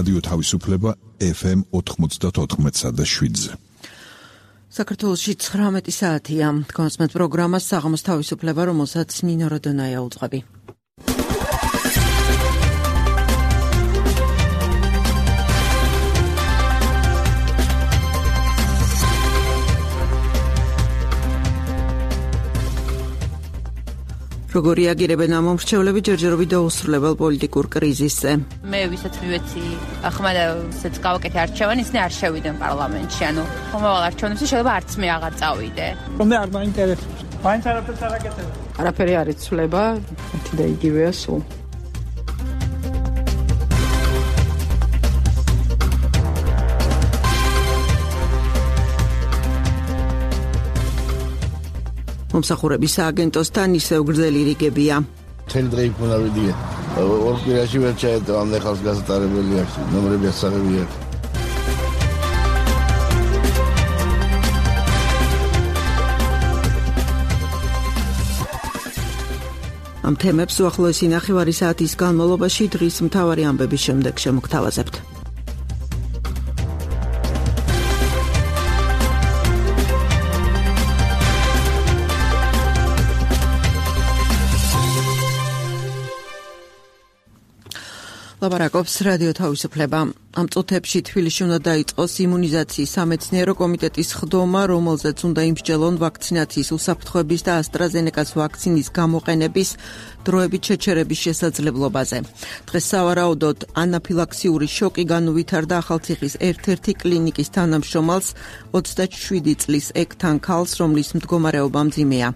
რადიო თავისუფლება FM 94.7-ზე. საქართველოში 19 საათია. კონსმეთ პროგრამას საღამოს თავისუფლება, რომელსაც ნინო როდონაია უძღვები. როგორი აგირებენ ამ მომრჩევლები ჯერჯერობით დაუსრულებელ პოლიტიკურ კრიზისზე. მე ვისაც მივეცი ახმადაც გავაკეთე არჩევანი, ისინი არ შევიდნენ პარლამენტში. ანუ მომავალ არჩევნებში შეიძლება არც მე აღარ წავიდე. მე არ მაინტერესებს. მაინც არაფერს არ აკეთებ. არაფერი არ იცვლება, ერთი და იგივეა სულ. მომსახურების სააგენტოსთან ისევ გრძელი რიგებია. მთელი დღე იქ უნდა ვიდიე. ორ კვირაში ვერ ჩაედო ამ ხალხს გასატარებელი აქვს, ნომრები ასაღები აქვს. ამ თემებს უახლოესი ნახევარი საათის განმავლობაში დღის მთავარი ამბების შემდეგ შემოგთავაზებთ. ლაპარაკობს რადიო თავისუფლება. ამ წუთებში თბილისში უნდა დაიწყოს იმუნიზაციის სამეცნიერო კომიტეტის ხდომა, რომელზეც უნდა იმსჯელონ ვაქცინაციის უსაფრთხოების და AstraZeneca-ს ვაქცინის გამოყენების დროებით შეჩერების შესაძლებლობაზე. დღეს სავარაუდოდ ანაფილაქსიური შოკი განუვითარდა ახალციხის ერთ-ერთი კლინიკის თანამშრომელს, 27 წლის ეკთან ქალს, რომლის მდგომარეობა მძიმეა.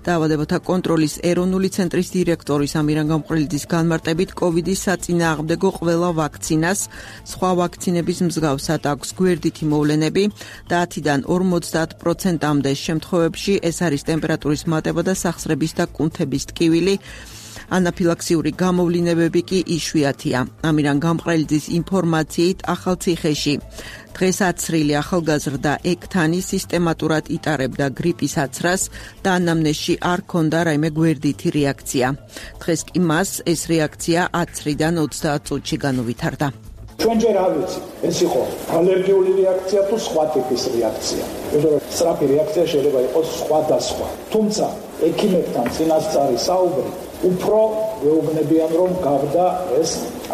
დაავადებათა კონტროლის ეროვნული ცენტრის დირექტორის ამირან გამყრელიძის განმარტებით, COVID-ის საწინააღმდეგო ყველა ვაქცინას სხვა ვაქცინების მსგავსად აქვს გვერდითი მოვლენები და 10-დან 50%-მდე შემთხვევებში ეს არის ტემპერატურის მატება და სახსრების და კუნთების ტკივილი. ანაფილაქსიური გამოვლინებები კი იშვიათია. ამირან გამყრელიძის ინფორმაციით ახალციხეში დღეს აცრილი ახალგაზრდა ეკთანი სისტემატურად იტარებდა გრიპის აცრას და ანამნეზში არ ჰქონდა რაიმე გვერდითი რეაქცია. დღეს კი მას ეს რეაქცია 10-დან 30 წუთში განუვითარდა. ჩვენ ჯერ არ ვიცით, ეს იყო ალერგიული რეაქცია თუ სხვა ტიპის რეაქცია. სწრაფი რეაქცია შეიძლება იყოს სხვადასხვა. თუმცა ექიმებთან წინასწარი საუბრი უფრო ვეუბნებიან, რომ გავდა ეს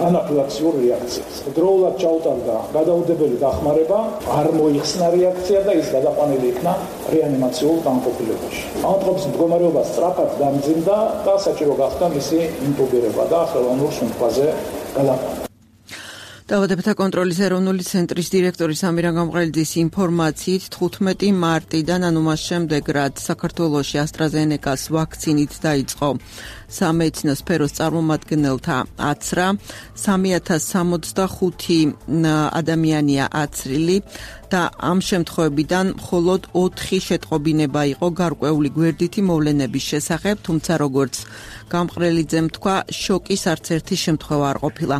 ანაფილაქსიური რეაქცია. დროულად ჩაუტარდა გადაუდებელი დახმარება, არ მოიხსნა რეაქცია და ის გადაყვანილი იქნა რეანიმაციულ განყოფილებაში. ამ დღეს მდგომარეობა სწრაფად დამძიმდა და საჭირო გახდა მისი ინტუბირება და ხელოვნურ სუნთქვაზე გადაყვანა. დაავადებათა კონტროლის ეროვნული ცენტრის დირექტორის ამირან გამყრელიძის ინფორმაციით 15 მარტიდან, ანუ მას შემდეგ, რაც საქართველოში AstraZeneca-ს ვაქცინით დაიწყო სამედიცინო სფეროს წარმომადგენელთა აცრა, 3065 ადამიანია აცრილი და ამ შემთხვევებიდან მხოლოდ 4 შეტყობინება იყო გარკვეული გვერდითი მოვლენების შესახებ, თუმცა როგორც გამყრელიძემ თქვა, შოკის არც ერთი შემთხვევა არ ყოფილა.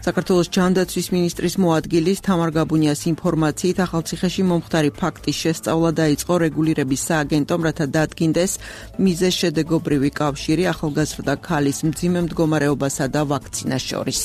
საქართველოს ჯანდაცვის მინისტრის მოადგილის თამარ გაბუნიას ინფორმაციით, ახალციხეში მომხდარი ფაქტის შესწავლა დაიწყო რეგულირების სააგენტომ, რათა დადგინდეს მიზეზშედეგობრივი კავშირი ახალგაზრდა ქალის მძიმე მდგომარეობასა და ვაქცინას შორის.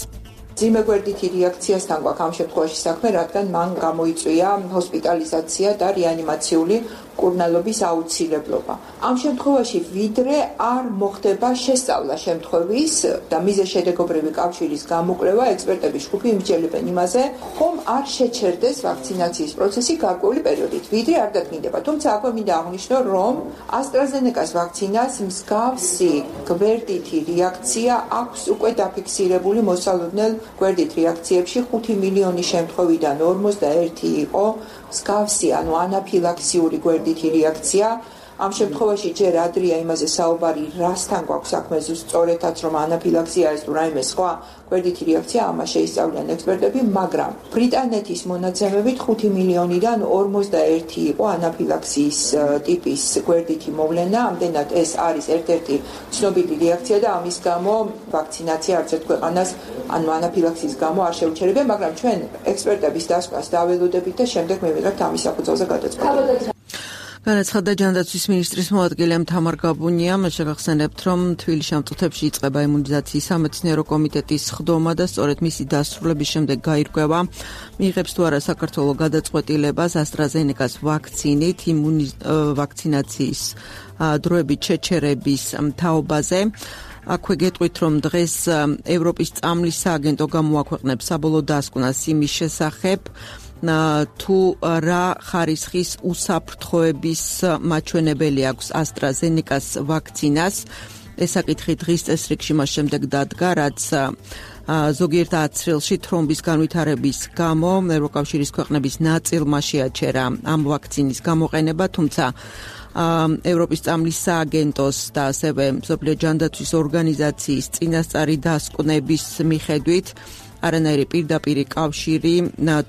მძიმე გვერდითი რეაქციასთან გვაქვს ამ შემთხვევაში საქმე, რადგან მან გამოიწვია ჰოსპიტალიზაცია და რეანიმაციული კურნალობის აუცილებლობა. ამ შემთხვევაში ვიდრე არ მოხდება შესწავლა შემთხვევის და მიზეზშედეგობრივი კავშირის გამოკვლევა, ექსპერტების ჯგუფი იმსჯელებენ იმაზე, ხომ არ შეჩერდეს ვაქცინაციის პროცესი გარკვეული პერიოდით, ვიდრე არ დადგინდება. თუმცა აქვე მინდა აღვნიშნო, რომ AstraZeneca-ს ვაქცინას მსგავსი გვერდითი რეაქცია აქვს უკვე დაფიქსირებული მოსალოდნელ გვერდით რეაქციებში 5 მილიონი შემთხვევიდან 41 იყო მსგავსი, ანუ ანაფილაქსიური გვერდითი რეაქცია. ამ შემთხვევაში ჯერ ადრეა იმაზე საუბარი, რასთან გვაქვს საქმე სწორედაც, რომ ანაფილაქსია არის თუ რაიმე სხვა გვერდითი რეაქცია, ამას შეისწავლიან ექსპერტები, მაგრამ ბრიტანეთის მონაცემებით 5 მილიონიდან 41 იყო ანაფილაქსიის ტიპის გვერდითი მოვლენა. ამდენად ეს არის ერთ-ერთი ცნობილი რეაქცია და ამის გამო ვაქცინაცია არც ერთ ქვეყანას ანუ ანაფილაქსიის გამო არ შეუჩერებია, მაგრამ ჩვენ ექსპერტების დასკვას დაველოდებით და შემდეგ მივიღებთ ამის საფუძველზე გადაწყვეტილება. განაცხადა ჯანდაცვის მინისტრის მოადგილე თამარ გაბუნიამ, შეგახსენებთ, რომ თბილისში ამ წუთებში იწყება იმუნიზაციის სამეცნიერო კომიტეტის სხდომა და სწორედ მისი დასრულების შემდეგ გაირკვევა, მიიღებს თუ არა საქართველოს გადაწყვეტილებას AstraZeneca-ს ვაქცინით ვაქცინაციის დროებით შეჩერების თაობაზე. აქვე გეტყვით, რომ დღეს ევროპის წამლის სააგენტო გამოაქვეყნებს საბოლოო დასკვნას იმის შესახებ, თუ რა ხარისხის უსაფრთხოების მაჩვენებელი აქვს AstraZeneca-ს ვაქცინას. ეს საკითხი დღის წესრიგში მას შემდეგ დადგა, რაც ზოგიერთ აცრილში თრომბის განვითარების გამო ევროკავშირის ქვეყნების ნაწილმა შეაჩერა ამ ვაქცინის გამოყენება, თუმცა ევროპის წამლის სააგენტოს და ასევე მსოფლიო ჯანდაცვის ორგანიზაციის წინასწარი დასკვნების მიხედვით არანაირი პირდაპირი კავშირი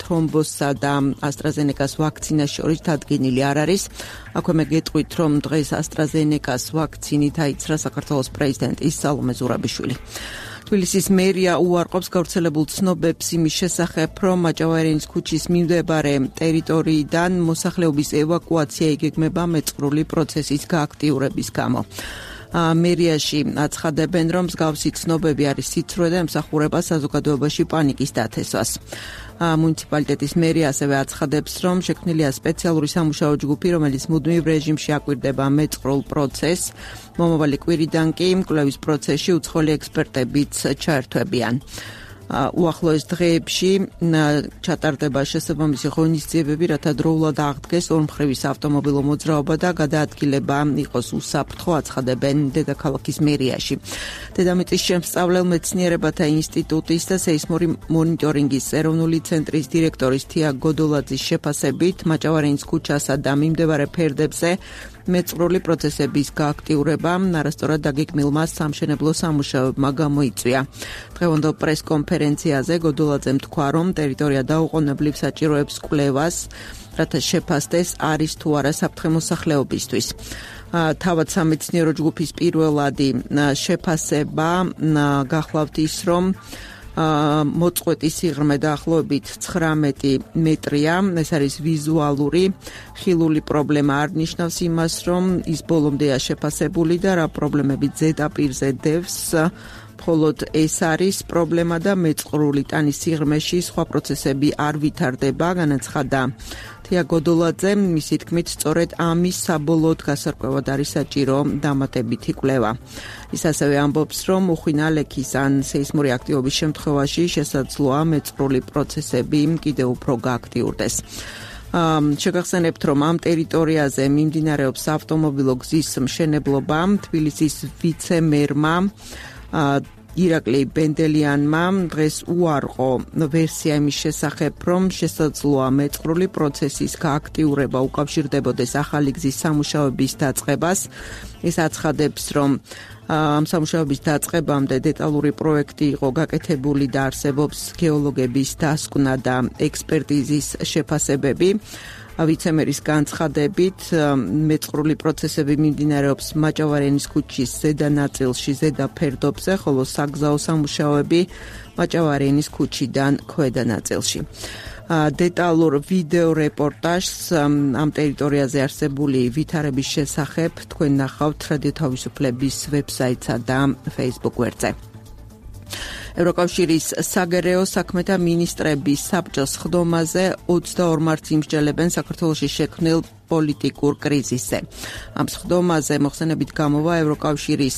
თრომბოსსა და AstraZeneca-ს ვაქცინას შორის დადგენილი არ არის. აქვე მე გეტყვით, რომ დღეს AstraZeneca-ს ვაქცინით აიცრა საქართველოს პრეზიდენტი სალომე ზურაბიშვილი. თბილისის მერია უარყოფს გავრცელებულ ცნობებს იმის შესახებ, რომ მაჭავარიანის ქუჩის მიმდებარე ტერიტორიიდან მოსახლეობის ევაკუაცია იგეგმება მეწყრული პროცესის გააქტიურების გამო. მერიაში აცხადებენ, რომ მსგავსი ცნობები არის სიცრუე და ემსახურება საზოგადოებაში პანიკის დათესვას. მუნიციპალიტეტის მერია ასევე აცხადებს, რომ შექმნილია სპეციალური სამუშაო ჯგუფი, რომელიც მუდმივ რეჟიმში აკვირდება მეწყრულ პროცესს. მომავალი კვირიდან კი კვლევის პროცესში უცხოელი ექსპერტებიც ჩაერთვებიან. უახლოეს დღეებში ჩატარდება შესაბამისი ღონისძიებები, რათა დროულად აღდგეს ორმხრივის ავტომობილო მოძრაობა და გადაადგილება იყოს უსაფრთხო, აცხადებენ დედაქალაქის მერიაში. დედამიწის შემსწავლელ მეცნიერებათა ინსტიტუტის და სეისმური მონიტორინგის ეროვნული ცენტრის დირექტორის თია გოდოლაძის შეფასებით, მაჭავარიანის ქუჩასა და მიმდებარე ფერდებზე მეწყრული პროცესების გააქტიურება არასწორად დაგეგმილმა სამშენებლო სამუშაოებმა გამოიწვია. დღევანდელ პრესკონფერენციაზე გოდოლაძემ თქვა, რომ ტერიტორია დაუყოვნებლივ საჭიროებს კვლევას, რათა შეფასდეს არის თუ არა საფრთხე მოსახლეობისთვის. თავად სამეცნიერო ჯგუფის პირველადი შეფასება გახლავთ ის, რომ მოწყვეტის სიღრმე დაახლოებით 19 მეტრია. ეს არის ვიზუალური, ხილული პრობლემა არ ნიშნავს იმას, რომ ის ბოლომდეა შეფასებული და რა პრობლემები ზედაპირზე დევს. მხოლოდ ეს არის პრობლემა და მეწყრული ტანის სიღრმეში სხვა პროცესები არ ვითარდება, განაცხადა თია გოდოლაძე. მისი თქმით, სწორედ ამის საბოლოოდ გასარკვევად არის საჭირო დამატებითი კვლევა. ის ასევე ამბობს, რომ უხვინა ლექის ან სეისმური აქტივობის შემთხვევაში შესაძლოა მეწყრული პროცესები კიდევ უფრო გააქტიურდეს. შეგახსენებთ, რომ ამ ტერიტორიაზე მიმდინარეობს ავტომობილო გზის მშენებლობა. თბილისის ვიცე-მერმა ირაკლი ბენდელიანმა დღეს უარყო ვერსია იმის შესახებ, რომ შესაძლოა მეწყრული პროცესის გააქტიურება უკავშირდებოდეს ახალი გზის სამუშაოების დაწყებას. ის აცხადებს, რომ ამ სამუშაოების დაწყებამდე დეტალური პროექტი იყო გაკეთებული და არსებობს გეოლოგების დასკვნა და ექსპერტიზის შეფასებები. ვიცემერის განცხადებით, მეწყრული პროცესები მიმდინარეობს მაჭავარიანის ქუჩის ზედა ნაწილში, ზედა ფერდობზე, ხოლო საგზაო სამუშაოები მაჭავარიანის ქუჩიდან ქვედა ნაწილში. დეტალურ ვიდეო რეპორტაჟს ამ ტერიტორიაზე არსებული ვითარების შესახებ თქვენ ნახავთ რადიო თავისუფლების ვებსაიტსა და Facebook გვერდზე. ევროკავშირის საგარეო საქმეთა მინისტრების საბჭოს სხდომაზე 22 მარტს იმსჯელებენ საქართველოში შექმნილ პოლიტიკურ კრიზისზე. ამ სხდომაზე მოხსენებით გამოვა ევროკავშირის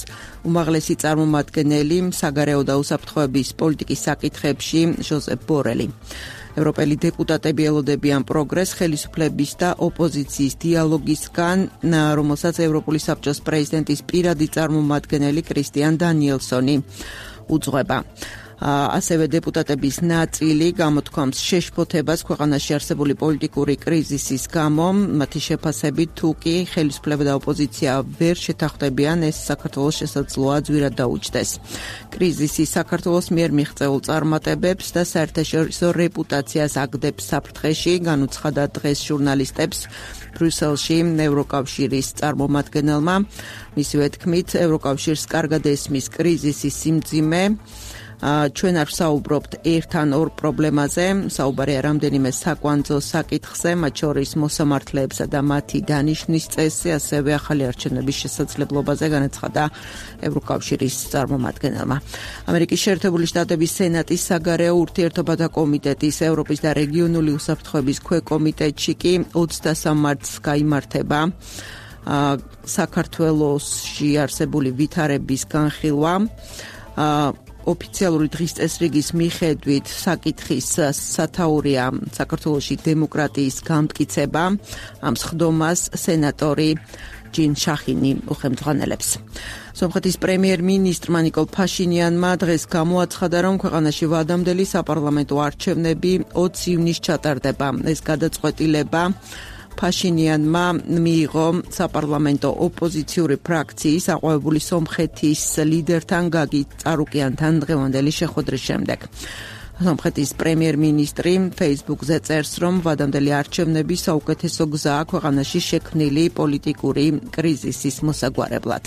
უმაღლესი წარმომადგენელი საგარეო და უსაფრთხოების პოლიტიკის საკითხებში ჟოზეფ ბორელი. ევროპელი დეპუტატები ელოდებიან პროგრესს ხელისუფლების და ოპოზიციის დიალოგისგან, რომელსაც ევროპული საბჭოს პრეზიდენტის პირადი წარმომადგენელი კრისტიან დანიელსონი უძღვება. ასევე დეპუტატების ნაწილი გამოთქვამს შეშფოთებას ქვეყანაში არსებული პოლიტიკური კრიზისის გამო. მათი შეფასებით, თუ კი ხელისუფლება და ოპოზიცია ვერ შეთანხმდებიან, ეს საქართველოს შესაძლოა ძვირად დაუჯდეს. კრიზისი საქართველოს მიერ მიღწეულ წარმატებებს და საერთაშორისო რეპუტაციას აგდებს საფრთხეში, განუცხადა დღეს ჟურნალისტებს ბრიუსელში ევროკავშირის წარმომადგენელმა. მისივე თქმით, ევროკავშირს კარგად ესმის კრიზისის სიმძიმე, ჩვენ არ ვსაუბრობთ ერთ ან ორ პრობლემაზე, საუბარია რამდენიმე საკვანძო საკითხზე, მათ შორის მოსამართლეებსა და მათი დანიშვნის წესზე, ასევე ახალი არჩევნების შესაძლებლობაზე განაცხადა ევროკავშირის წარმომადგენელმა. ამერიკის შეერთებული შტატების სენატის საგარეო ურთიერთობათა კომიტეტის ევროპის და რეგიონული უსაფრთხოების ქვეკომიტეტში კი 23 მარტს გაიმართება საქართველოში არსებული ვითარების განხილვა. ოფიციალური დღის წესრიგის მიხედვით საკითხის სათაურია საქართველოში დემოკრატიის გამტკიცება. ამ სხდომას სენატორი ჯინ შახინი უხელმძღვანელებს. სომხეთის პრემიერ-მინისტრმა ნიკოლ ფაშინიანმა დღეს გამოაცხადა, რომ ქვეყანაში ვადამდელი საპარლამენტო არჩევნები 20 ივნისს ჩატარდება. ეს გადაწყვეტილება ფაშინიანმა მიიღო საპარლამენტო ოპოზიციური ფრაქციის აყვავებული სომხეთის ლიდერთან გაგი წარუკიანთან დღევანდელი შეხვედრის შემდეგ. სომხეთის პრემიერ-მინისტრი Facebook-ზე წერს, რომ ვადამდელი არჩევნები საუკეთესო გზაა ქვეყანაში შექმნილი პოლიტიკური კრიზისის მოსაგვარებლად.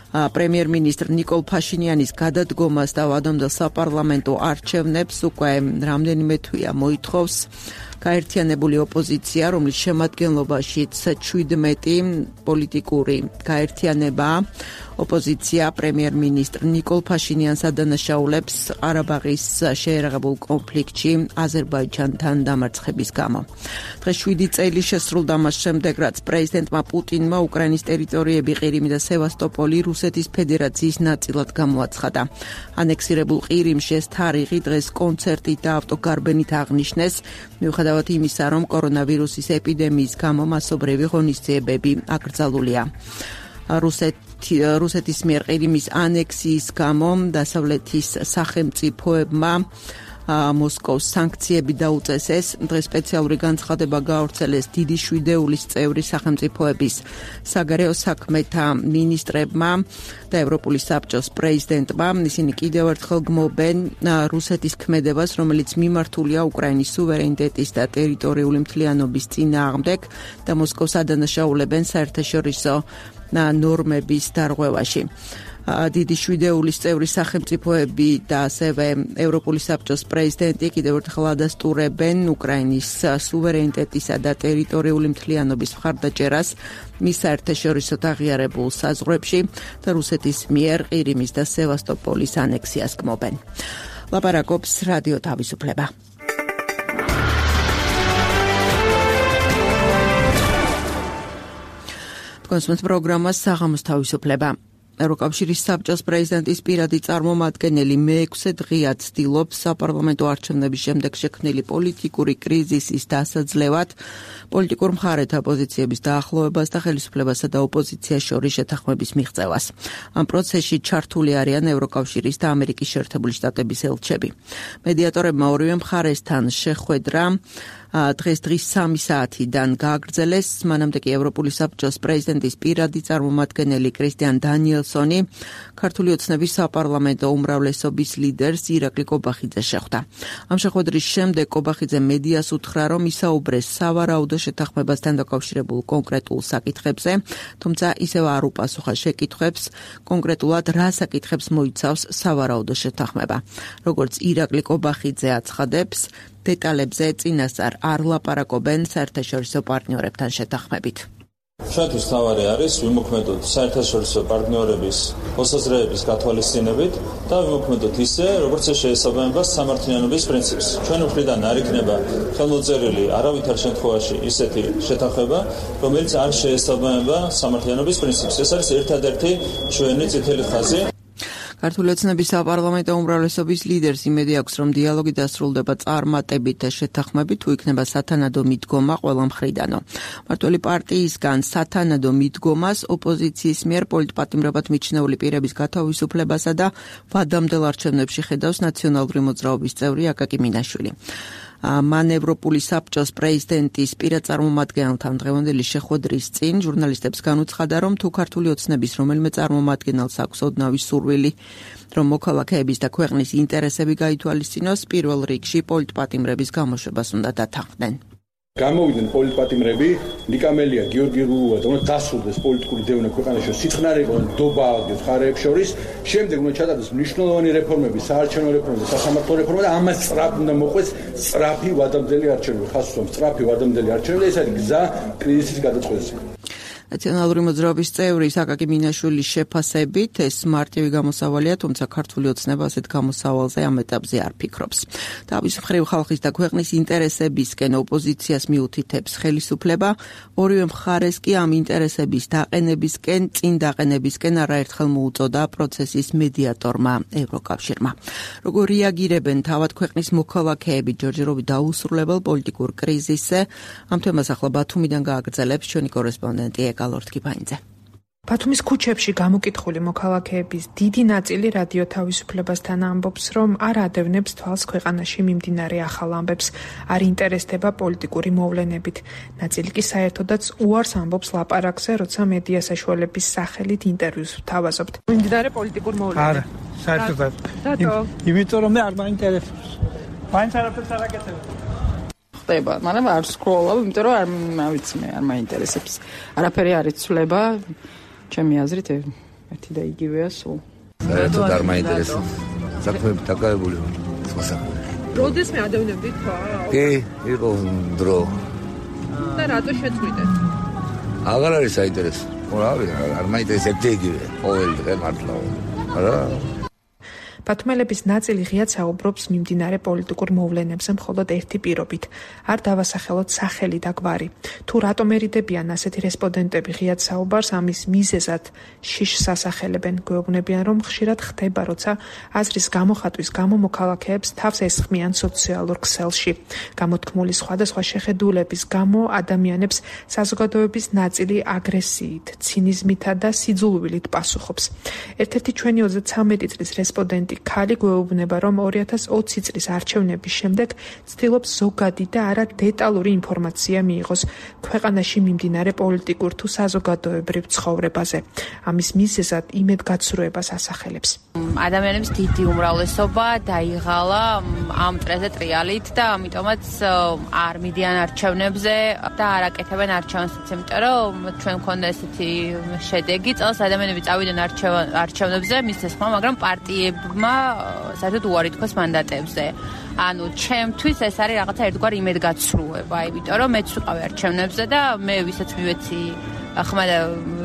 პრემიერ-მინისტრ ნიკოლ ფაშინიანის გადადგომას და ვადამდელ საპარლამენტო არჩევნებს უკვე რამდენიმე თვეა მოითხოვს გაერთიანებული ოპოზიცია, რომლის შემადგენლობაშიც 17 პოლიტიკური გაერთიანებაა. ოპოზიცია პრემიერ-მინისტრ ნიკოლ ფაშინიანს ადანაშაულებს ყარაბაღის შეერაღებულ კონფლიქტში აზერბაიჯანთან დამარცხების გამო. დღეს 7 წელი შესრულდა მას შემდეგ, რაც პრეზიდენტმა პუტინმა უკრაინის ტერიტორიები ყირიმი და სევასტოპოლი რუსეთის ფედერაციის ნაწილად გამოაცხადა. ანექსირებულ ყირიმში ეს თარიღი დღეს კონცერტით და ავტოგარბენით აღნიშნეს, მიუხედავად იმისა, რომ კორონავირუსის ეპიდემიის გამო მასობრივი ღონისძიებები აკრძალულია. რუსეთის მიერ ყირიმის ანექსიის გამო დასავლეთის სახელმწიფოებმა მოსკოვს სანქციები დაუწესეს. დღეს სპეციალური განცხადება გაავრცელეს დიდი შვიდეულის წევრი სახელმწიფოების საგარეო საქმეთა მინისტრებმა და ევროპული საბჭოს პრეზიდენტმა. ისინი კიდევ ერთხელ გმობენ რუსეთის ქმედებას, რომელიც მიმართულია უკრაინის სუვერენიტეტის და ტერიტორიული მთლიანობის წინააღმდეგ და მოსკოვს ადანაშაულებენ საერთაშორისო ნორმების დარღვევაში. დიდი შვიდეულის წევრი სახელმწიფოები და ასევე ევროპული საბჭოს პრეზიდენტი კიდევ ერთხელ ადასტურებენ უკრაინის სუვერენიტეტისა და ტერიტორიული მთლიანობის მხარდაჭერას მის საერთაშორისო აღიარებულ საზღვრებში და რუსეთის მიერ ყირიმის და სევასტოპოლის ანექსიას გმობენ. ლაპარაკობს რადიო თავისუფლება. კონსუმენტ პროგრამა საღამოს თავისუფლება. ევროკავშირის საბჭოს პრეზიდენტის პირადი წარმომადგენელი მე-6 დღეა ცდილობს საპარლამენტო არჩევნების შემდეგ შექმნილი პოლიტიკური კრიზისის დასაძლევად პოლიტიკურ მხარეთა პოზიციების დაახლოებას და ხელისუფლებასა და ოპოზიციას შორის შეთანხმების მიღწევას. ამ პროცესში ჩართული არიან ევროკავშირის და ამერიკის შეერთებული შტატების ელჩები. მედიატორებმა ორივე მხარესთან შეხვედრა დღეს 3 საათიდან გააგრძელეს. მანამდე კი ევროპული საბჭოს პრეზიდენტის პირადი წარმომადგენელი კრისტიან დანიელსონი ქართული ოცნების საპარლამენტო უმრავლესობის ლიდერს ირაკლი კობახიძეს შეხვდა. ამ შეხვედრის შემდეგ კობახიძე მედიას უთხრა, რომ ისაუბრეს სავარაუდო შეთანხმებასთან დაკავშირებულ კონკრეტულ საკითხებზე, თუმცა ისევ არ უპასუხა შეკითხვებს, კონკრეტულად რა საკითხებს მოიცავს სავარაუდო შეთანხმება. როგორც ირაკლი კობახიძე აცხადებს, დეტალებზე წინასწარ არ ლაპარაკობენ საერთაშორისო პარტნიორებთან შეთანხმებით. ჩვენთვის თავარი არის ვიმოქმედოთ საერთაშორისო პარტნიორების მოსაზრეების გათვალისწინებით და ვიმოქმედოთ ისე, როგორც შეესაბამება სამართლიანობის პრინციპს. ჩვენი მხრიდან არ იქნება ხელმოწერილი არავითარ შემთხვევაში ისეთი შეთანხმება, რომელიც არ შეესაბამება სამართლიანობის პრინციპს. ეს არის ერთადერთი ჩვენი წითელი ხაზი. ქართული ოცნების საპარლამენტო უმრავლესობის ლიდერს იმედი აქვს, რომ დიალოგი დასრულდება წარმატებით და შეთანხმებით, თუ იქნება სათანადო მიდგომა ყველა მხრიდანო. მმართველი პარტიისგან სათანადო მიდგომას ოპოზიციის მიერ პოლიტპატიმრებად მიჩნეული პირების გათავისუფლებასა და ვადამდელ არჩევნებში ხედავს ნაციონალური მოძრაობის წევრი აკაკი მინაშვილი. მან ევროპული საბჭოს პრეზიდენტის პირად წარმომადგენელთან დღევანდელი შეხვედრის წინ ჟურნალისტებს განუცხადა, რომ თუ ქართული ოცნების რომელიმე წარმომადგენელს აქვს ოდნავი სურვილი, რომ მოქალაქეების და ქვეყნის ინტერესები გაითვალისწინოს, პირველ რიგში პოლიტპატიმრების გამოშვებას უნდა დათანხმდნენ. გამოვიდნენ პოლიტპატიმრები, ნიკამელია, გიორგი რუა, თუმცა დასრულდეს პოლიტიკური დევნა ქვეყანაში, სიცხნარე იყო ნდობა აღდგეს მხარეებს შორის. შემდეგ უნდა ჩატარდეს მნიშვნელოვანი რეფორმები, საარჩევნო რეფორმები, სასამართლო რეფორმები და ამას სწრაფ უნდა მოყვეს სწრაფი ვადამდელი არჩევნები, ხაზს უსვამს სწრაფი ვადამდელი არჩევნები და ეს არის გზა კრიზისის გადაწყვეტაზე. ნაციონალური მოძრაობის წევრი აკაკი მინაშვილის შეფასებით ეს მარტივი გამოსავალია, თუმცა ქართული ოცნება ასეთ გამოსავალზე ამ ეტაპზე არ ფიქრობს. თავის მხრივ ხალხის და ქვეყნის ინტერესებისკენ ოპოზიციას მიუთითებს ხელისუფლება, ორივე მხარეს კი ამ ინტერესების დაყენებისკენ, წინ დაყენებისკენ არაერთხელ მოუწოდა პროცესის მედიატორმა ევროკავშირმა. როგორ რეაგირებენ თავად ქვეყნის მოქალაქეები ჯერჯერობით დაუსრულებელ პოლიტიკურ კრიზისზე? ამ თემას ახლა ბათუმიდან გააგრძელებს ჩვენი კორესპონდენტი გალორთკიბაინძე. ბათუმის ქუჩებში გამოკითხული მოქალაქეების დიდი ნაწილი რადიო თავისუფლებასთან ამბობს, რომ არ ადევნებს თვალს ქვეყანაში მიმდინარე ახალ ამბებს, არ ინტერესდება პოლიტიკური მოვლენებით. ნაწილი კი საერთოდაც უარს ამბობს ლაპარაკზე, როცა მედია საშუალების სახელით ინტერვიუს ვთავაზობთ. მიმდინარე პოლიტიკურ მოვლენებით. არა, საერთოდ. იმიტომ რომ არ მაინტერესებს. მაინც არაფერს არ აკეთებ. ხდება, მაგრამ არ სკროლავ, იმიტომ რომ არ ვიცი მე, არ მაინტერესებს. არაფერი არ იცვლება, ჩემი აზრით ერთი და იგივეა სულ. საერთოდ არ მაინტერესებს. საქმეები დაკავებული ვარ. როდის მე ადევნებდი თვალს? კი, იყო დრო. და რატო შეწყვიტეთ? აღარ არის საინტერესო. არ მაინტერესებს ერთი იგივე. ყოველი დღე მართლა. არა. ბათუმელების ნაწილი ღიად საუბრობს მიმდინარე პოლიტიკურ მოვლენებზე მხოლოდ ერთი პირობით. არ დავასახელოთ სახელი და გვარი. თუ რატომ ერიდებიან ასეთი რესპონდენტები ღიად საუბარს, ამის მიზეზად შიშს ასახელებენ. გვეუბნებიან, რომ ხშირად ხდება, როცა აზრის გამოხატვის გამო მოქალაქეებს თავს ესხმიან სოციალურ ქსელში. გამოთქმული სხვადასხვა შეხედულების გამო ადამიანებს საზოგადოების ნაწილი აგრესიით, ცინიზმითა და სიძულვილით პასუხობს. ერთ-ერთი ჩვენი 33 წლის რესპონდენტი ქალი გვეუბნება, რომ 2020 წლის არჩევნების შემდეგ ცდილობს ზოგადი და არა დეტალური ინფორმაცია მიიღოს ქვეყანაში მიმდინარე პოლიტიკურ თუ საზოგადოებრივ ცხოვრებაზე. ამის მიზეზად იმედგაცრუებას ასახელებს. ადამიანების დიდი უმრავლესობა დაიღალა ამ წრეზე ტრიალით და ამიტომაც არ მიდიან არჩევნებზე და არ აკეთებენ არჩევნებს, იმიტომ რომ ჩვენ მქონდა ესეთი შედეგი, წელს ადამიანები წავიდნენ არჩევნებზე მის თესმა, მაგრამ პარტიებმა საერთოდ უარი თქვეს მანდატებზე. ანუ ჩემთვის ეს არის რაღაცა ერთგვარი იმედგაცრუება, იმიტომ რომ მეც ვიყავი არჩევნებზე და მე ვისაც მივეცი ხმა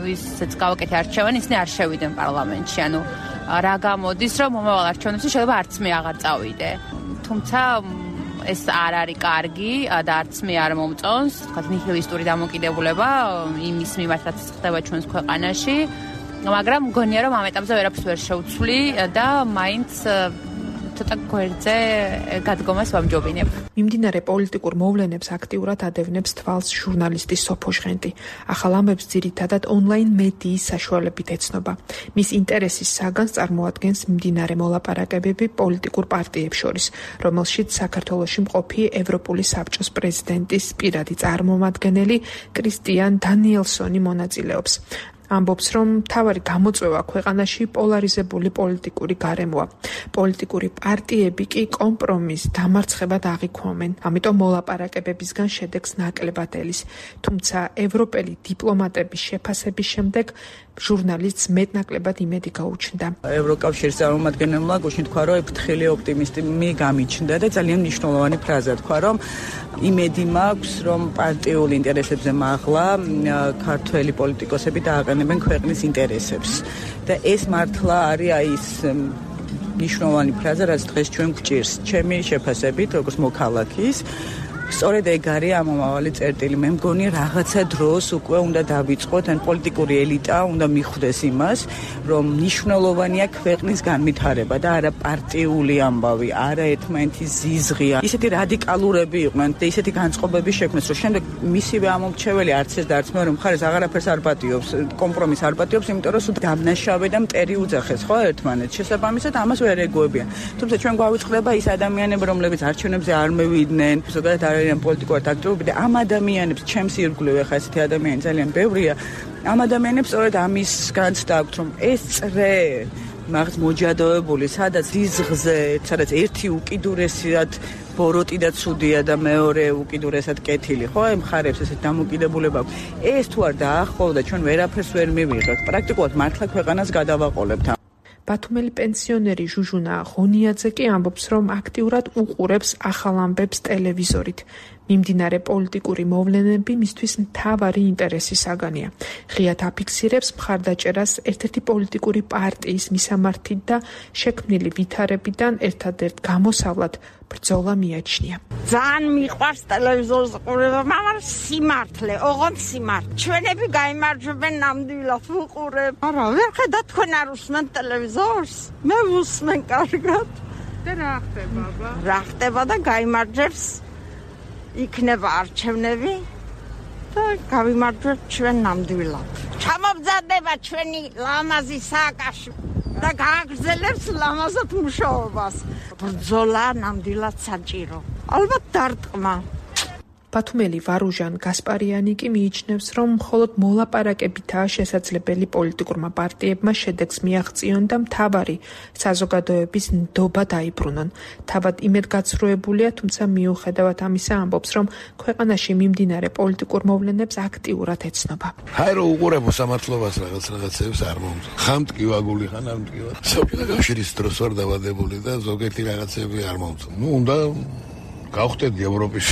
ვისაც გავაკეთე არჩევანი, ისინი არ შევიდნენ პარლამენტში. ანუ რა გამოდის, რომ მომავალ არჩევნებში შეიძლება არც მე აღარ წავიდე. თუმცა ეს არ არის კარგი და არც მე არ მომწონს, თქვათ ნიჰილისტური დამოკიდებულება იმის მიმართ, რაც ხდება ჩვენს ქვეყანაში. მაგრამ მგონია, რომ ამ ეტაპზე ვერაფერს ვერ შევცვლი და მაინც ცოტა გვერდზე გადგომას ვამჯობინებ. მიმდინარე პოლიტიკურ მოვლენებს აქტიურად ადევნებს თვალს ჟურნალისტი სოფო ჟღენტი. ახალ ამბებს ძირითადად ონლაინ მედიის საშუალებით ეცნობა. მის ინტერესის საგანს წარმოადგენს მიმდინარე მოლაპარაკებები პოლიტიკურ პარტიებს შორის, რომელშიც საქართველოში მყოფი ევროპული საბჭოს პრეზიდენტის პირადი წარმომადგენელი კრისტიან დანიელსონი მონაწილეობს. ამბობს, რომ მთავარი გამოწვევა ქვეყანაში პოლარიზებული პოლიტიკური გარემოა. პოლიტიკური პარტიები კი კომპრომისს დამარცხებად აღიქვამენ, ამიტომ მოლაპარაკებებისგან შედეგს ნაკლებად ელის. თუმცა ევროპელი დიპლომატების შეფასების შემდეგ ჟურნალისტს მეტნაკლებად იმედი გაუჩნდა. ევროკავშირის წარმომადგენელმა გუშინ თქვა, რომ ფრთხილი ოპტიმიზმი გამიჩნდა და ძალიან მნიშვნელოვანი ფრაზა თქვა, რომ იმედი მაქვს, რომ პარტიულ ინტერესებზე მაღლა ქართველი პოლიტიკოსები დააყენებენ ქვეყნის ინტერესებს. და ეს მართლა არის ის მნიშვნელოვანი ფრაზა, რაც დღეს ჩვენ გვჭირს. ჩემი შეფასებით, როგორც მოქალაქის, სწორედ ეგ არის ამომავალი წერტილი. მე მგონი რაღაცა დროს უკვე უნდა დავიწყოთ, ან პოლიტიკური ელიტა უნდა მიხვდეს იმას, რომ მნიშვნელოვანია ქვეყნის განვითარება და არა პარტიული ამბავი, არა ერთმანეთის ზიზღი. ისეთი რადიკალურები იყვნენ და ისეთი განწყობები შექმნეს, რომ შემდეგ მისივე ამომრჩეველი არც ეს და არც მეორე მხარეს აღარაფერს არ პატიობს, კომპრომისს არ პატიობს, იმიტომ რომ სულ დამნაშავე და მტერი უძახეს ხო ერთმანეთს. შესაბამისად ამას ვერ ეგუებიან. თუმცა ჩვენ გვავიწყდება ის ადამიანები, რომლებიც არჩევნებზე არ მევიდნენ, ზოგადად არიან პოლიტიკურად აქტიურები და ამ ადამიანებს ჩემს ირგვლივ ახლა ესეთი ადამიანი ძალიან ბევრია. ამ ადამიანებს სწორედ ამის განცდა აქვთ, რომ ეს წრე მაგ მოჯადოებული, სადაც დიზღზე, სადაც ერთი უკიდურესად ბოროტი და ცუდია და მეორე უკიდურესად კეთილი, ხო, ემხარებს ესეთ დამოკიდებულება. ეს თუ არ დაახლოვდა, ჩვენ ვერაფერს ვერ მივიღებთ. პრაქტიკულად მართლა ქვეყანას გადავაყოლებთ. ბათუმელი პენსიონერი ჟუჟუნა ღონიაძე კი ამბობს, რომ აქტიურად უყურებს ახალ ამბებს ტელევიზორით. მიმდინარე პოლიტიკური მოვლენები მისთვის მთავარი ინტერესის საგანია. ღიად აფიქსირებს მხარდაჭერას ერთ-ერთი პოლიტიკური პარტიის მისამართით და შექმნილი ვითარებიდან ერთადერთ გამოსავლად ბრძოლა მიაჩნია. ძალიან მიყვარს ტელევიზორის ყურება, მაგრამ სიმართლე, ოღონდ სიმართლე. ჩვენები გაიმარჯვებენ ნამდვილად ვუყურებ. არა, ვერ ხედავ თქვენ არ უსმენთ ტელევიზორს? მე ვუსმენ კარგად. და რა ხდება, აბა? რა ხდება და გაიმარჯვებს იქნება არჩევნები და გავიმარჯვებთ ჩვენ ნამდვილად. ჩამომზადება ჩვენი ლამაზი სააკაშვილი და გააგრძელებს ლამაზად მუშაობას. ბრძოლა ნამდვილად საჭირო. ალბათ დარტყმა. ბათუმელი ვარუჟან გასპარიანი კი მიიჩნევს, რომ მხოლოდ მოლაპარაკებითაა შესაძლებელი პოლიტიკურმა პარტიებმა შედეგს მიაღწიონ და მთავარი საზოგადოების ნდობა დაიბრუნონ. თავად იმედგაცრუებულია, თუმცა მიუხედავად ამისა ამბობს, რომ ქვეყანაში მიმდინარე პოლიტიკურ მოვლენებს აქტიურად ეცნობა. აი რომ უყურებო სამართლობას რაღაცებს არ მომწონს. ხან მტკივაგული, ხან არ მტკივად. სოფიო კავშირის დროს ვარ დავადებული და ზოგიერთი რაღაცები არ მომწონს. უნდა გავხდეთ ევროპის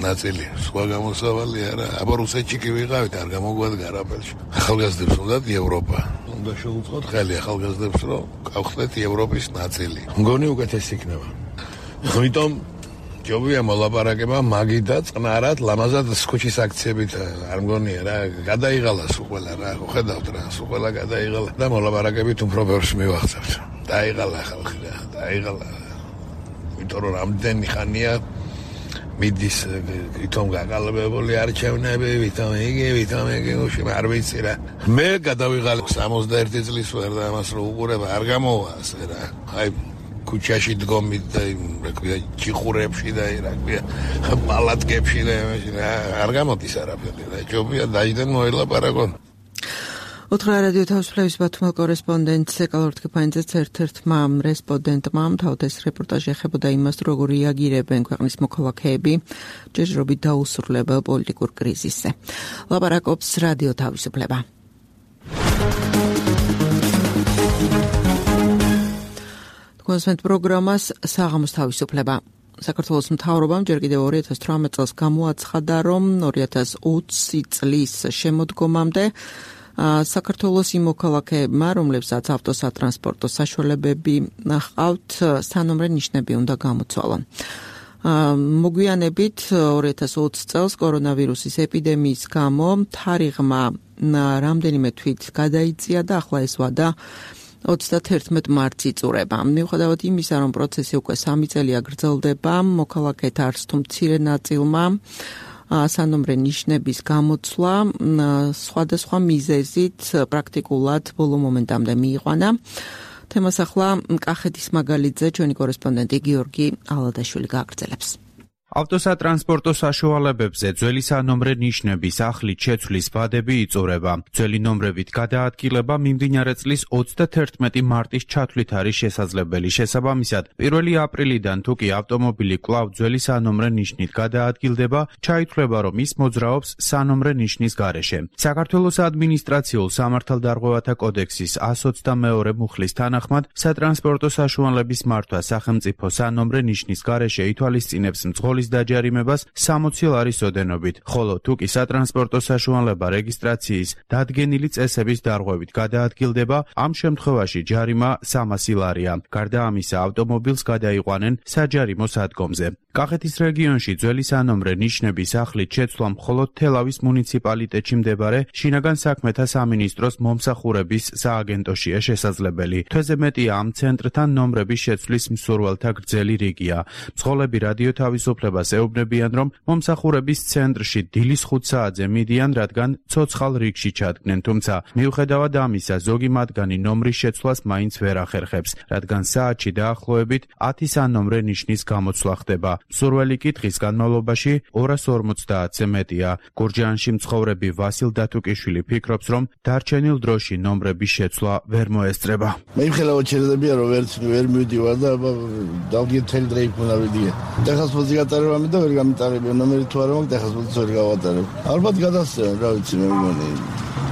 ნაწილი, სხვა გამოსავალი არა. აბა რუსეთში კი ვიყავით, არ გამოგვადგა არაფერში. ახალგაზრდებს უნდათ ევროპა. უნდა შეუწყოთ ხელი ახალგაზრდებს, რომ გავხდეთ ევროპის ნაწილი. მგონი უკეთესი იქნება. ამიტომ ჯობია მოლაპარაკება მაგიდა წყნარად, ლამაზად ქუჩის აქციებით არ მგონია რა, გადაიღალა სულ რა, ხედავთ რა, სულ გადაიღალა და მოლაპარაკებით უფრო ბევრს მივახცევთ. დაიღალა ხალხი რა, დაიღალა. იმიტომ რომ რამდენი ხანია მიდის ვითომ გაგალბებული არჩევნები, ვითომ იგი, არ ვიცი რა. მე გადავიღალე 61 წლის ვარ და ამას რო უყურება არ გამოვა ასე რა. აი ქუჩაში დგომით და რა ქვია ჩიხურებში და რა ქვია პალატკებში და არ გამოდის არაფერი რა. ჯობია დაიდან მოელაპარაკონ. ოთხრა რადიო თავისუფლების ბათუმელ კორესპონდენტს ეკალორთ კეფანიძეს ერთ-ერთმა რესპონდენტმა თავად ეს რეპორტაჟი ეხებოდა იმას, როგორ რეაგირებენ ქვეყნის მოქალაქეები ჯერჯერობით დაუსრულებელ პოლიტიკურ კრიზისზე. ლაპარაკობს რადიო თავისუფლება. კონსვენტ პროგრამას საღამოს თავისუფლება. საქართველოს მთავრობამ ჯერ კიდევ 2018 წელს გამოაცხადა, რომ 2020 წლის შემოდგომამდე საქართველოს იმ მოქალაქეებმა, რომლებსაც ავტოსატრანსპორტო საშუალებები ჰყავთ, სანომრე ნიშნები უნდა გამოცვალონ. მოგვიანებით 2020 წელს კორონავირუსის ეპიდემიის გამო თარიღმა რამდენიმე თვით გადაიწია და ახლა ეს ვადა 31 მარტს იწურება. მიუხედავად იმისა, რომ პროცესი უკვე 3 წელია გრძელდება, მოქალაქეთა არც თუ მცირე ნაწილმა სანომრე ნიშნების გამოცვლა სხვადასხვა მიზეზით პრაქტიკულად ბოლო მომენტამდე მიიყვანა. თემას ახლა კახეთის მაგალითზე ჩვენი კორესპონდენტი გიორგი ალადაშვილი გააგრძელებს. ავტოსატრანსპორტო საშუალებებზე ძველი სანომრე ნიშნების ახლით შეცვლის ვადები იწურება. ძველი ნომრებით გადაადგილება მიმდინარე წლის 31 მარტის ჩათვლით არის შესაძლებელი. შესაბამისად, 1 აპრილიდან თუ კი ავტომობილი კვლავ ძველი სანომრე ნიშნით გადაადგილდება, ჩაითვლება, რომ ის მოძრაობს სანომრე ნიშნის გარეშე. საქართველოს ადმინისტრაციულ სამართალდარღვევათა კოდექსის 122 მუხლის თანახმად, სატრანსპორტო საშუალების მართვა სახელმწიფო სანომრე ნიშნის გარეშე ითვალისწინებს მძღოლის დაჯარიმებას 60 ლარის ოდენობით, ხოლო თუ კი სატრანსპორტო საშუალება რეგისტრაციის დადგენილი წესების დარღვევით გადაადგილდება, ამ შემთხვევაში ჯარიმა 300 ლარია. გარდა ამისა, ავტომობილს გადაიყვანენ საჯარიმო სადგომზე. კახეთის რეგიონში ძველი სანომრე ნიშნების ახლით შეცვლა მხოლოდ თელავის მუნიციპალიტეტში მსდებარე შინაგან საქმეთა სამინისტროს მომსახურების სააგენტოშია შესაძლებელი. თვეზე მეტია ამ ცენტრთან ნომრების შეცვლის მსურველთა გრძელი რიგია. მძღოლები რადიო თავისუფლების ხელისუფლებას ეუბნებიან, რომ მომსახურების ცენტრში დილის 5 საათზე მიდიან, რადგან ცოცხალ რიგში ჩადგნენ, თუმცა მიუხედავად ამისა, ზოგი მათგანი ნომრის შეცვლას მაინც ვერ ახერხებს, რადგან საათში დაახლოებით 10 სანომრე ნიშნის გამოცვლა ხდება. მსურველი კითხის განმავლობაში 250-ზე მეტია. გურჯაანში მცხოვრები ვასილ დათუკიშვილი ფიქრობს, რომ დარჩენილ დროში ნომრების შეცვლა ვერ მოესწრება. მე მხოლოდ შეიძლება რომ ვერ მივდივარ და დავდგეთ თელი დროი მოვიდია. დახასფოთი გატარებამ და ვერ გამიტარებია ნომერი თუ არა მაქვს დახასფოთი ვერ გავატარებ. ალბათ გადასცემ, რა ვიცი მე მგონი.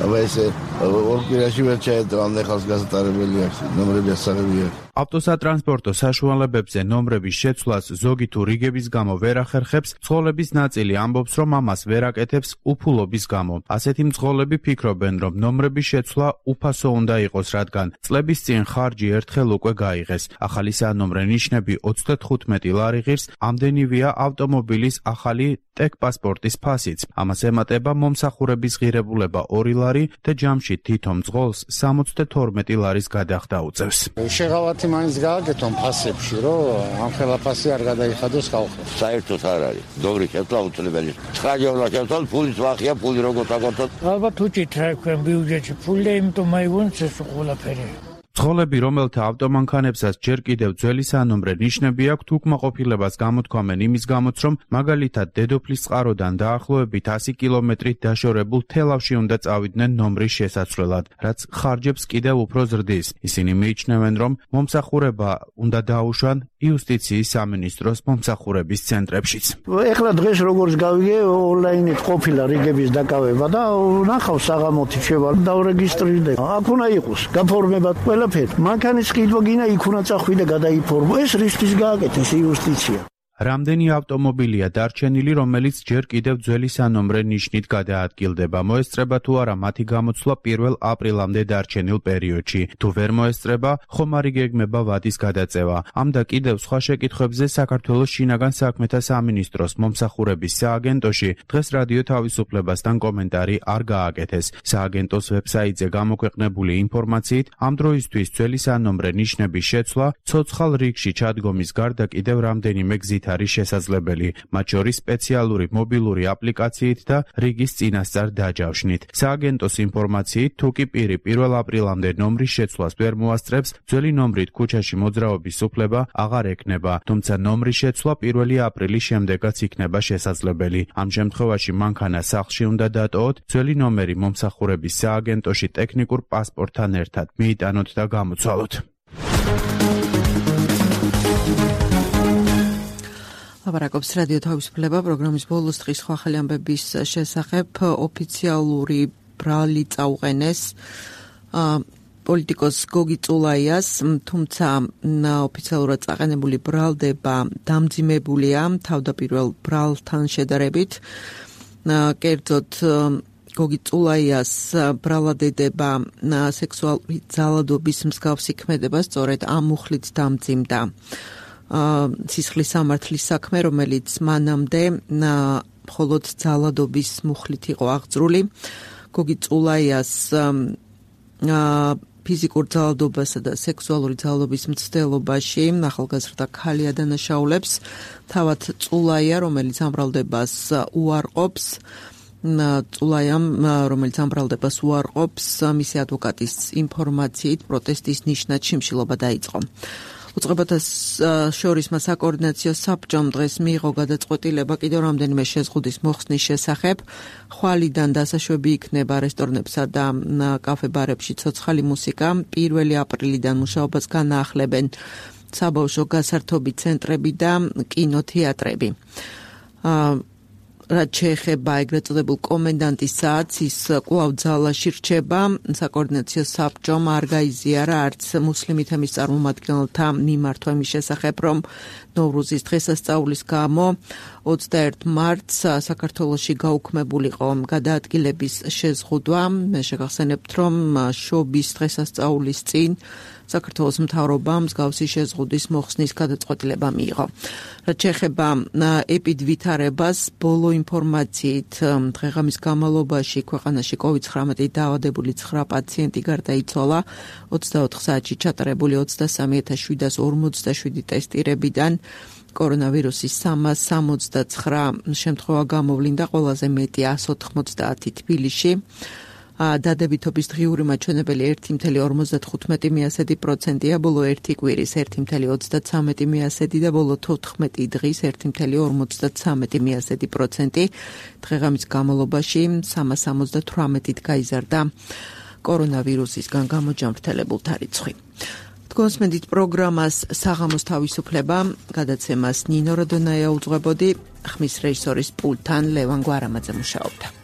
აბა ესე ორ კვირაში ვერ ჩაედგა ამ ხალხს გასატარებელი აქვს ნომრები ასაღებია. ავტოსატრანსპორტო საშუალებებზე ნომრების შეცვლას ზოგი თუ რიგების გამო ვერ ახერხებს, მძღოლების ნაწილი ამბობს, რომ ამას ვერ აკეთებს უფულობის გამო. ასეთი მძღოლები ფიქრობენ, რომ ნომრების შეცვლა უფასო უნდა იყოს, რადგან წლების წინ ხარჯი ერთხელ უკვე გაიღეს. ახალი სანომრე ნიშნები 35 ლარი ღირს, ამდენივეა ავტომობილის ახალი ტექპასპორტის ფასიც. ამას ემატება მომსახურების ღირებულება 2 ლარი და ჯამში თითო მძღოლს 72 ლარის გადახდა უწევს. შეღავათი მაინც გააკეთონ ფასებში, რომ ამ ხელა ფასი არ გადაიხადოს ხალხს. საერთოდ არ არის. დოგრი შეცვლა უწლებელი. 9 ჯერა შეცვალ, ფულის ვახია, ფული როგორ დაგოწოთ. ალბათ უჭით რა ქვენ ბიუჯეტში ფული, იმიტომ მაიგონს ეს ყველაფერი. მძღოლები, რომელთა ავტომანქანებსაც ჯერ კიდევ ძველი სანომრე ნიშნები აქვთ, უკმაყოფილებას გამოთქვამენ იმის გამოც, რომ მაგალითად დედოფლის წყაროდან დაახლოებით 100 კილომეტრით დაშორებულ თელავში უნდა წავიდნენ ნომრის შესაცვლელად, რაც ხარჯებს კიდევ უფრო ზრდის. ისინი მიიჩნევენ, რომ მომსახურება უნდა დაუშვან იუსტიციის სამინისტროს მომსახურების ცენტრებშიც. ეხლა დღეს როგორც გავიგე, ონლაინით ყოფილა რიგების დაკავება და ნახავ საღამოთი შევა დავრეგისტრირდე. აქ უნდა იყოს გაფორმება მანქანის ყიდვა გინა იქ უნდა წახვიდე და გადაიფორმო. ეს რისთვის გააკეთეს იუსტიცია. რამდენი ავტომობილია დარჩენილი, რომელიც ჯერ კიდევ ძველი სანომრე ნიშნით გადაადგილდება. მოესწრება თუ არა მათი გამოცვლა 1 აპრილამდე დარჩენილ პერიოდში. თუ ვერ მოესწრება, ხომარი გეგმება ვადის გადაწევა. ამ და კიდევ სხვა შეკითხვებზე საქართველოს შინაგან საქმეთა სამინისტროს მომსახურების სააგენტოში დღეს რადიო თავისუფლებასთან კომენტარი არ გააკეთეს. სააგენტოს ვებსაიტზე გამოქვეყნებული ინფორმაციით, ამ დროისთვის ძველი სანომრე ნიშნების შეცვლა ცოცხალ რიგში ჩადგომის გარდა კიდევ რამდენიმე გზით არის შესაძლებელი, მათ შორის სპეციალური მობილური აპლიკაციით და რიგის წინასწარ დაჯავშნით. სააგენტოს ინფორმაციით, თუ კი პირი 1 აპრილამდე ნომრის შეცვლას ვერ მოასწრებს, ძველი ნომრით ქუჩაში მოძრაობის უფლება აღარ ექნება, თუმცა ნომრის შეცვლა 1 აპრილის შემდეგაც იქნება შესაძლებელი. ამ შემთხვევაში მანქანა სახლში უნდა დატოვოთ, ძველი ნომერი მომსახურების სააგენტოში ტექნიკურ პასპორტთან ერთად მიიტანოთ და გამოცვალოთ. ლაპარაკობს რადიო თავისუფლება პროგრამის ბოლოს დღის სხვა ახალი ამბების შესახებ. ოფიციალური ბრალი წაუყენეს პოლიტიკოს გოგი წულაიას, თუმცა ოფიციალურად წაყენებული ბრალდება დამძიმებულია თავდაპირველ ბრალთან შედარებით. კერძოდ გოგი წულაიას ბრალადედება სექსუალური ძალადობის მსგავსი ქმედება სწორედ ამ მუხლით დამძიმდა. სისხლის სამართლის საქმე, რომელიც მანამდე მხოლოდ ძალადობის მუხლით იყო აღძრული. გოგი წულაიას ფიზიკურ ძალადობასა და სექსუალური ძალადობის მცდელობაში ახალგაზრდა ქალი ადანაშაულებს. თავად წულაია, რომელიც ამ ბრალდებას უარყოფს, რომელიც ამ ბრალდებას უარყოფს, მისი ადვოკატის ინფორმაციით პროტესტის ნიშნად შიმშილობა დაიწყო. უწყებათა შორისმა საკოორდინაციო საბჭომ დღეს მიიღო გადაწყვეტილება კიდევ რამდენიმე შეზღუდის მოხსნის შესახებ. ხვალიდან დასაშვები იქნება რესტორნებსა და კაფე-ბარებში ცოცხალი მუსიკა. 1 აპრილიდან მუშაობას განაახლებენ საბავშვო გასართობი ცენტრები და კინოთეატრები. რაც შეეხება ეგრეთ წოდებულ კომენდანტის საათს, ის კვლავ ძალაში რჩება. საკოორდინაციო საბჭომ არ გაიზიარა არც მუსლიმი თემის წარმომადგენელთა მიმართვა იმის შესახებ, რომ ნოვრუზის დღესასწაულის გამო 21 მარტს საქართველოში გაუქმებულიყო გადაადგილების შეზღუდვა. მე შეგახსენებთ, რომ შობის დღესასწაულის წინ საქართველოს მთავრობამ მსგავსი შეზღუდვის მოხსნის გადაწყვეტილება მიიღო. რაც შეეხება ეპიდვითარებას, ბოლო ინფორმაციით დღეღამის განმავლობაში ქვეყანაში COVID-19 დაავადებული 9 პაციენტი გარდაიცვალა. 24 საათში ჩატარებული 23,747 ტესტირებიდან კორონავირუსის 369 შემთხვევა გამოვლინდა, ყველაზე მეტი 190 თბილისში. დადებითობის დღიური მაჩვენებელი 1.55%-ია, ბოლო 1 კვირის 1.33% და ბოლო 14 დღის 1.53%. დღეღამის განმავლობაში 378-ით გაიზარდა კორონავირუსისგან გამოჯანმრთელებულთა რიცხვი. თქვენსმენდით პროგრამას საღამოს თავისუფლება, გადაცემას ნინო როდონაია უძღვებოდი, ხმის რეჟისორის პულტთან ლევან გვარამაძე მუშაობდა.